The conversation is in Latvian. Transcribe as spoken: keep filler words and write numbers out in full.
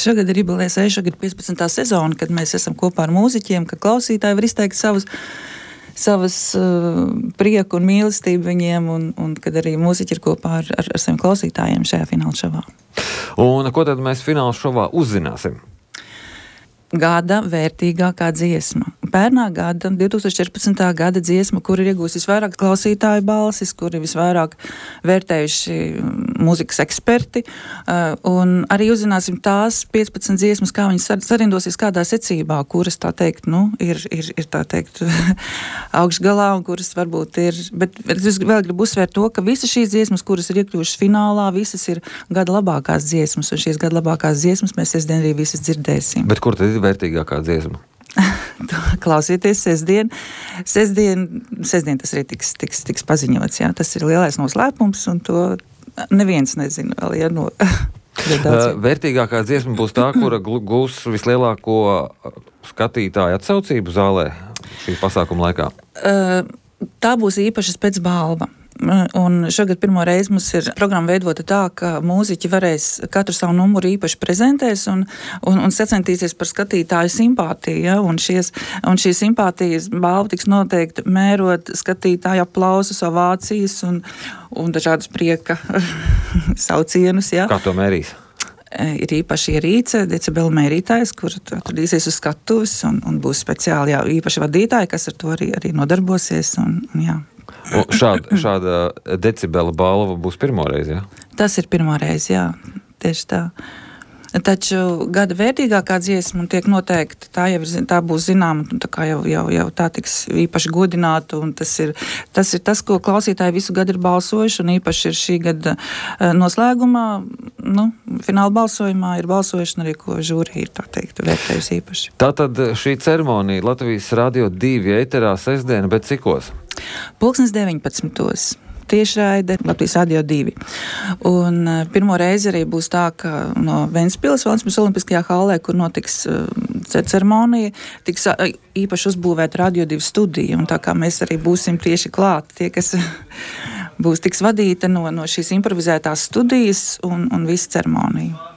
šogad ir jubilejas, šogad piecpadsmitā sezona, kad mēs esam kopā ar mūziķiem, kad klausītāji var izteikt savus savas uh, prieku un mīlestību viņiem, un, un kad arī mūziķi ir kopā ar, ar, ar saviem klausītājiem šajā fināla šovā. Un ko tad mēs fināla šovā uzzināsim? Gada vērtīgākā dziesma. Pērnā gada, divtūkstoš četrpadsmitā gada dziesma, kur ir iegūst visvairāk klausītāju balsis, kur ir visvairāk vērtējuši mūzikas eksperti, un arī uzzināsim tās piecpadsmit dziesmas, kā viņas sarindosies kādā secībā, kuras, tā teikt, nu, ir, ir, ir tā teikt, augšgalā, un kuras varbūt ir, bet es vēl gribu uzsvērt to, ka visas šīs dziesmas, kuras ir iekļuvušas finālā, visas ir gada labākās dziesmas, un šīs gada labākās dziesmas mēs sestdien arī visas dzirdēsim. Bet kur tad ir vērtīgākā dziesma? Klausieties sestdien. Sestdien, sestdien tas arī tiks, tiks, tiks paziņots, jā. Tas ir lielais noslēpums, un to neviens nezina vēl, ja, no... Uh, vērtīgākā dziesma būs tā, kura gūs vislielāko skatītāju atsaucību zālē šī pasākuma laikā? Uh, tā būs īpaša specbalva. Un šogad pirmo reizi mums ir programma veidota tā, ka mūziķi varēs katru savu numuru īpaši prezentēs un, un, un sacentīsies par skatītāju simpātiju. Ja? Un, šies, un šī simpātijas balva tiks noteikti mērot skatītāju aplausus, ovācijas un, un dažādus prieka saucienus. Ja? Kā to mērīs? Ir īpaši ierīce, decibelu mērītājs, kur atradīsies uz skatuves un, un būs speciāli jā, īpaši vadītāji, kas ar to arī, arī nodarbosies. Un, un, jā. Un šāda, šāda decibela balva būs pirmo reizi, jā? Tas ir pirmo reizi, jā, tieši tā. Taču gada vērtīgākā dziesma tiek noteikti, tā jau ir, tā būs zināma, un tā kā jau, jau, jau tā tiks īpaši godināta, un tas ir, tas ir tas, ko klausītāji visu gadu ir balsojuši, un īpaši ir šī gada noslēgumā, nu, fināla balsojumā ir balsojuši, un arī, ko žūrija ir, tā teikt, vērtējusi īpaši. Tātad šī ceremonija Latvijas Radio divi ēterā sestdiena, bet cikos? Pulkstens deviņpadsmitos. Tiešraide Latvijas Radio divi. Un uh, pirmo reizi arī būs tā, ka no Ventspils Valsts Olimpiskajā hallē, kur notiks uh, ceremonija, tiks uh, īpaši uzbūvēta Radio divi studija. Un tā kā mēs arī būsim tieši klāt, tie, kas būs tiks vadīta no, no šīs improvizētās studijas un, un visa ceremonija.